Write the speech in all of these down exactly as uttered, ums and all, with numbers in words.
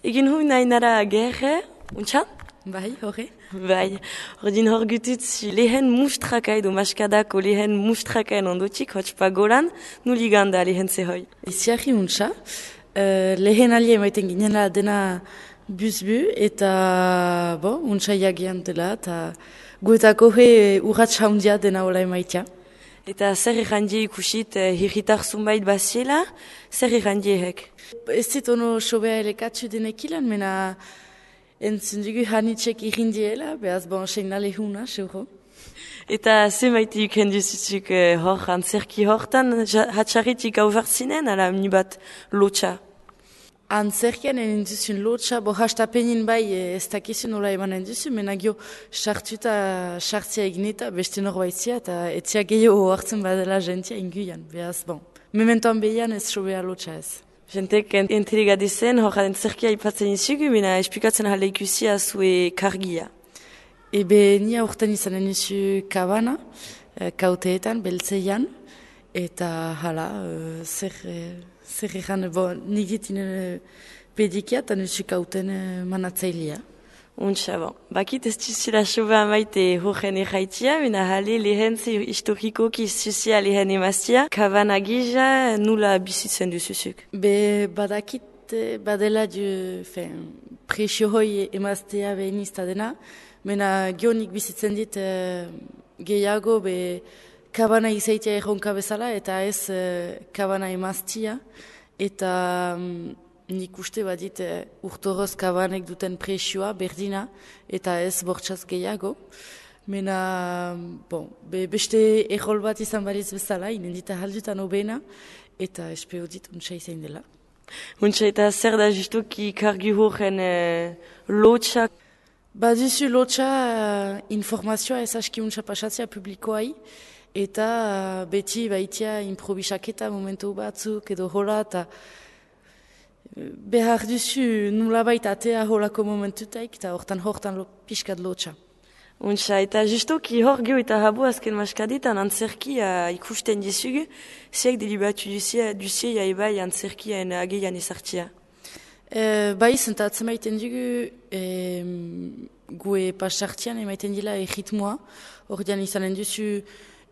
Egin hui nahi nara gerre, untxan? Bai, horre. Bai, ordin hor gututzi lehen mustraka edo maskadako lehen mustrakaen ondotik, hotxpa goran, nuli ganda lehen zehoi. Iziarri untxa, uh, lehen alie emaiten ginela dena buzbu eta bo, untxa jagian dela, eta guetako he urratx haundia dena hola emaitia. Eta zer errandie ikusit eh, hirritar zunbait baziela, zer errandie hek? Ez zit ono sobea elekatzu denekilan, mena entzun dugu hanitxek irrindiela, behaz bon segnale huna, seuro. Eta ze maite iken duzuzuk eh, hor, antzerki hortan, hatxarritik hau zinen, ala mni bat lotxa? Antzerkian egin duzun lotxa, bo hastapenin bai ez dakizun nola emanen duzu, mena gio sartuta sartzia egin eta beste norbaitzia, eta etzia gehiago hartzen badela jentia inguian, behaz bon. Mementoan behian ez sobea lotxa ez. Jentek intrigadizen, hor antzerkia ipatzen izugu, mena esplikatzen jale ikusia zue kargia. Ebe nia urten izanen izu kabana, kauteetan, beltzeian, eta hala, uh, zer, uh, zer egan, bo, nigitin uh, pedikia, eta nusu kauten uh, manatzailea. Untxa, bon. Bakit ez duzula soba amaite horren erraitia, mena jale lehen ze historikoki zuzia lehen emaztia, kabana gija nula bizitzen duzuzuk. Be badakit badela du, fen, presio hoi emaztea behin izta dena, mena gionik bizitzen dit uh, gehiago be kabana izaitia erronka bezala eta ez uh, kabana emaztia eta um, nik uste badit uh, urtoroz kabanek duten presioa berdina eta ez bortxaz gehiago. Mena, bon, be, beste errol bat izan baliz bezala, inendita haldutan obena eta espeo dit untsa izan dela. Untsa eta zer da justuki kargi horren uh, lotxak? Baduzu lotxa uh, informazioa ez aski untsa pasatzea publikoai, eta uh, beti baitia improvisaketa momentu batzuk edo hola, eta uh, behar duzu nulabait atea holako momentutaik, eta hortan hortan lo, pixkat lotxa. Untsa, eta justuki hor geho eta habu azken maskaditan antzerkia uh, ikusten dizugu, ziak delibatu duzia, duzia ebai antzerkiaen ageian ezartzia. E, bai, zentatzen maiten dugu, e, gue pasartian emaiten dila erritmoa, ordean izanen duzu,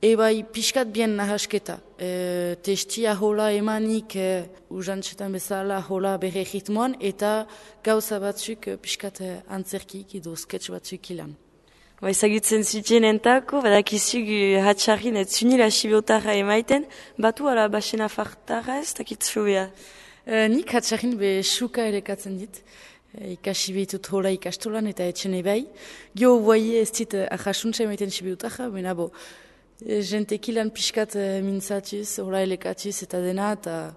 e bai, pixkat bien nahasketa. E, testia hola emanik, e, uzantxetan bezala hola bere erritmoan, eta gauza batzuk e, pixkat e, antzerkik edo sketch batzuk ilan. Ba, ezagutzen zuten entako, badakizug hatxarrin ez zunila sibotarra emaiten, batu ala basena fartara ez dakit zubea. Uh, nik hatxarrin be suka erekatzen dit, uh, ikasi behitut hola ikastolan eta etxene bai. Gio boaie ez dit uh, ahasuntza emaiten sibiutarra, bena bo, uh, jentekilan pixkat uh, mintzatuz, hola elekatuz eta dena, eta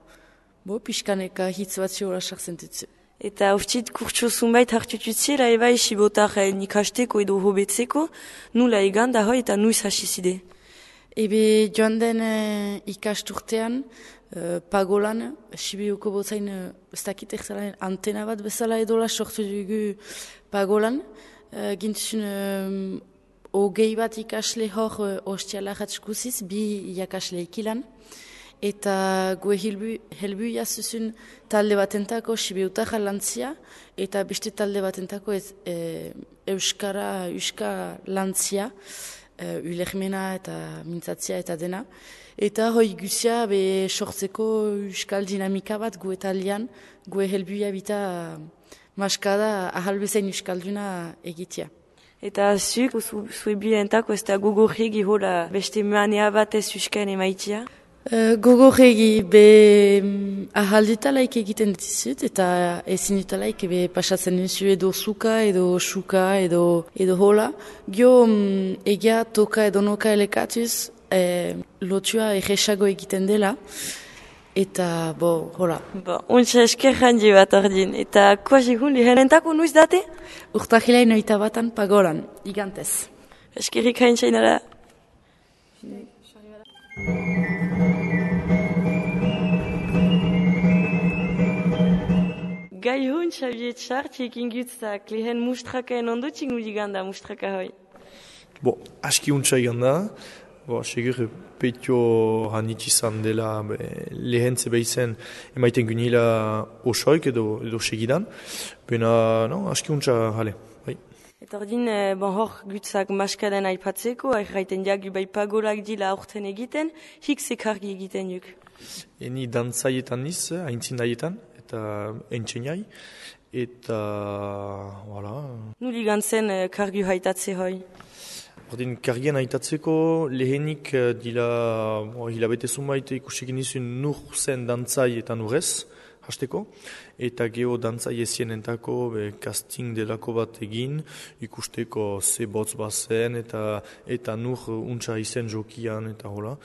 bo, pixkaneka hitz batzu hola sartzen dutzu. Eta uftit kurtso zunbait hartututziela ebai sibotarren ikasteko edo hobetzeko, nula egan da hoi eta nuiz hasizide? Ebe joan den uh, ikasturtean, Uh, pagolan, Sibiuko botzain, uh, ez dakit erzala antena bat bezala edola sortu dugu pagolan. Uh, Gintzun, um, ogei bat ikasle hor uh, ostiala ratzkuziz, bi iakasle ikilan. Eta gue helbu, helbu jazuzun talde batentako Sibiutarra lantzia, eta beste talde batentako ez, e, Euskara, Euska lantzia, e, ulermena eta mintzatzia eta dena. Eta hoi guzia be sortzeko euskal dinamika bat gu eta alian, gu helbuia bita maskada ahalbezain euskalduna egitea. Eta zuk, zue bilentako ez da gogorregi hola beste manea bat ez euskaen emaitia? Uh, gogorregi be um, ahaldutalaik egiten ditizut eta ezin dutalaik be pasatzen duzu edo zuka edo suka edo, edo hola. Gio um, egia toka edo noka elekatuz, E, lotua erresago egiten dela, eta, bo, hola. Bo, untsa esker handi bat ordin, eta koazigun lihenentako nuiz date? Urtahilain oita batan pagolan, igantez. Eskerrik hain txainara. Gai hon, Xavier Txartxik ingutzak, lehen mustrakaen ondotik nuliganda mustraka hoi? Bo, aski untsa iganda. bo, segur petio hanit izan dela be, lehentze behizen emaiten gunila osoik edo, edo segidan. Bena, no, aski untsa, hale, bai. Eta ordin, eh, bon hor gutzak maskaden aipatzeko, erraiten jagu bai pagolak dila aurten egiten, hik zekargi egiten juk. Eni dantzaietan niz, haintzindaietan, eta entxeniai, eta, voilà. Nuli gantzen eh, kargu haitatze hoi? Ordin, kargien haitatzeko lehenik eh, dila, bo, hilabete zumait ikusekin nizun nur zen dantzai eta nurez, hasteko, eta geho dantzai ezienentako be, casting delako bat egin, ikusteko ze botz bazen, eta, eta nur untsa izen jokian, eta hola.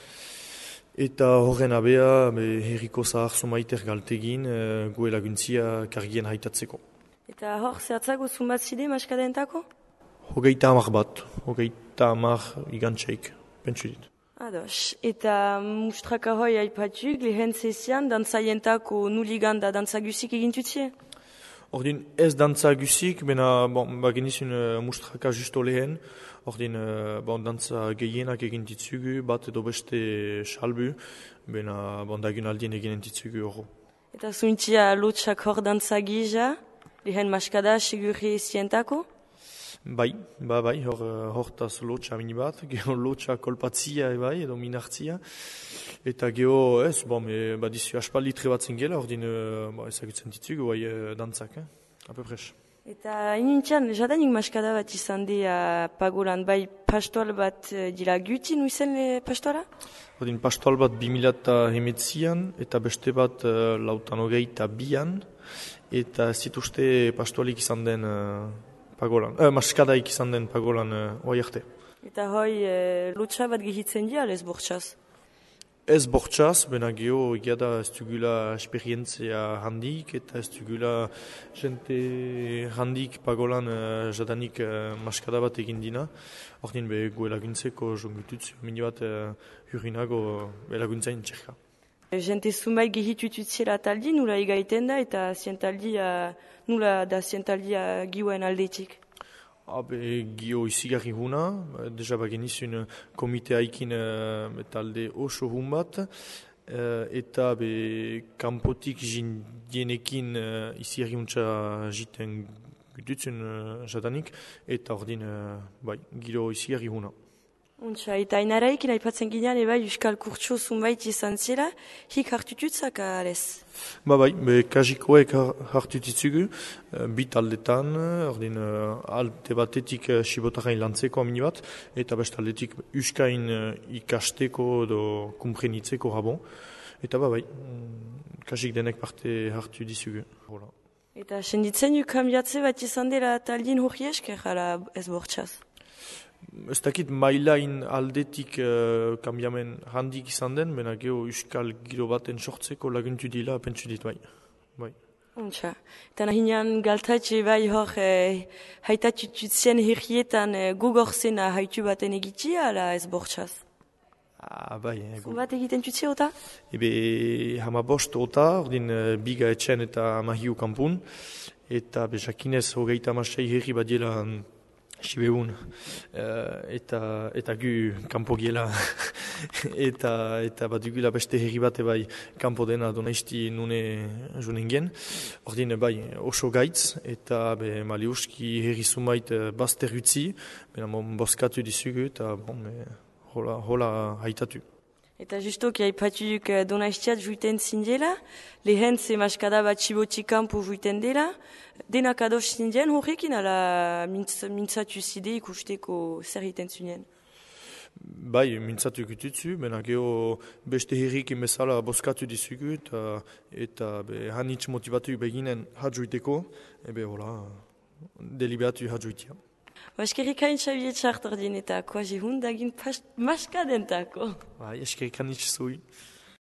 Eta horren abea, be, herriko zahar zumaiter galtegin, e, gue laguntzia kargien haitatzeko. Eta hor, zehatzago zumbat zide maskadentako? Hogeita hamar bat, hogeita hamar igantxeik, pentsu dit. Ados, eta mustraka hoi aipatuk, lehen zezian, dantzaientako nuliganda dantzagusik egintutzie? Ordin ez dantzagusik, bena bon, bagenizun uh, mustraka justo lehen, ordin uh, bon, dantza gehienak egintitzugu, bat edo beste salbu, bena bon, dagun aldien egintitzugu horro. Eta zuintzia lotxak hor dantzagija, lehen maskada segurri zientako? Bai, ba, bai, hor, hortaz lotxa mini bat, geho lotxa kolpatzia bai, edo minartzia, eta geho, ez, bon, me, badizu aspaldi trebatzen gela, ordin, ba, ezagutzen ditugu, bai, dantzak, eh? Apepres. Eta inintxan, jadanik maskada bat izan dira pagolan, bai, pastoal bat dira guti, nuizen le pastoala? Ordin, pastoal bat bimila eta hemetzian, eta beste bat uh, lautan hogeita bian, eta zituzte pastoalik izan den uh, pagolan, eh, maskadaik izan den pagolan uh, oai arte. Eta hoi, e, lotxa bat gehitzen dira, ez bortxaz? Ez bortxaz, bena geho egia da ez dugula esperientzia handik, eta ez dugula jente handik pagolan uh, jadanik uh, maskada bat egin dina. Ordin be gue laguntzeko jongututzu, mini bat uh, hurinago be laguntzain txerka. Jente zumbai gehitututziela taldi, nula egaiten da, eta zientaldia, nula da zientaldia giuen aldetik? Habe, gio izigarri huna, deja bagenizun komite haikin uh, talde oso hun bat, uh, eta be kanpotik jindienekin uh, izigarri huntza jiten gututzen uh, jadanik, eta ordin, uh, bai, giro izigarri huna. Untsa, eta inaraikin aipatzen ginean, eba, Euskal Kurtso zunbait izan zela, hik hartututzak alez? Ba bai, be kajikoek hartutitzugu, uh, bit aldetan, ordin uh, alte batetik uh, sibotarain lantzeko amini bat, eta best aldetik Euskain uh, ikasteko edo kumprenitzeko rabon, eta ba bai, um, kajik denek parte hartu dizugu. Hola. Eta senditzen du kambiatze bat izan dela taldin hori esker, ala ez bortxaz? Ez dakit mailain aldetik uh, kambiamen handik izan den, bena geho euskal giro baten sortzeko laguntu dila, pentsu dit bai. bai. Untsa. Eta nahinean galtatxe bai hor eh, haitatututzen herrietan eh, gogorzena haitu baten egitia, ala ez bortxaz? Ah, bai. Eh, Zumbat egiten tutzi ota? Ebe hama bost ota, ordin uh, biga etxen eta mahiu kampun, eta bezakinez hogeita amasei herri badiela Sibeun, uh, eta, eta gu kanpo giela, eta, eta bat dugula beste herri bate bai kanpo dena donaizti nune junen gen. Ordin bai oso gaitz, eta be maliuski herri zumait uh, bazter utzi, bena mon boskatu dizugu, eta bon, me, hola, hola haitatu. Eta justoki aipatuk donaiztiat juiten zindela, lehen ze maskada bat txibotik kanpo juiten dela, denak ados zindien horrekin ala mintz, mintzatu zide ikusteko zer egiten zunien? Bai, mintzatu ikututzu, bena geho beste herrikin bezala boskatu dizugu, eta, eta be, hanitz motivatu beginen hadjuiteko, ebe hola, deliberatu hadjuitia. Eskerrik hain txabiet txartordin eta koa jehundagin maskadentako. Bai, eskerrik hain zui.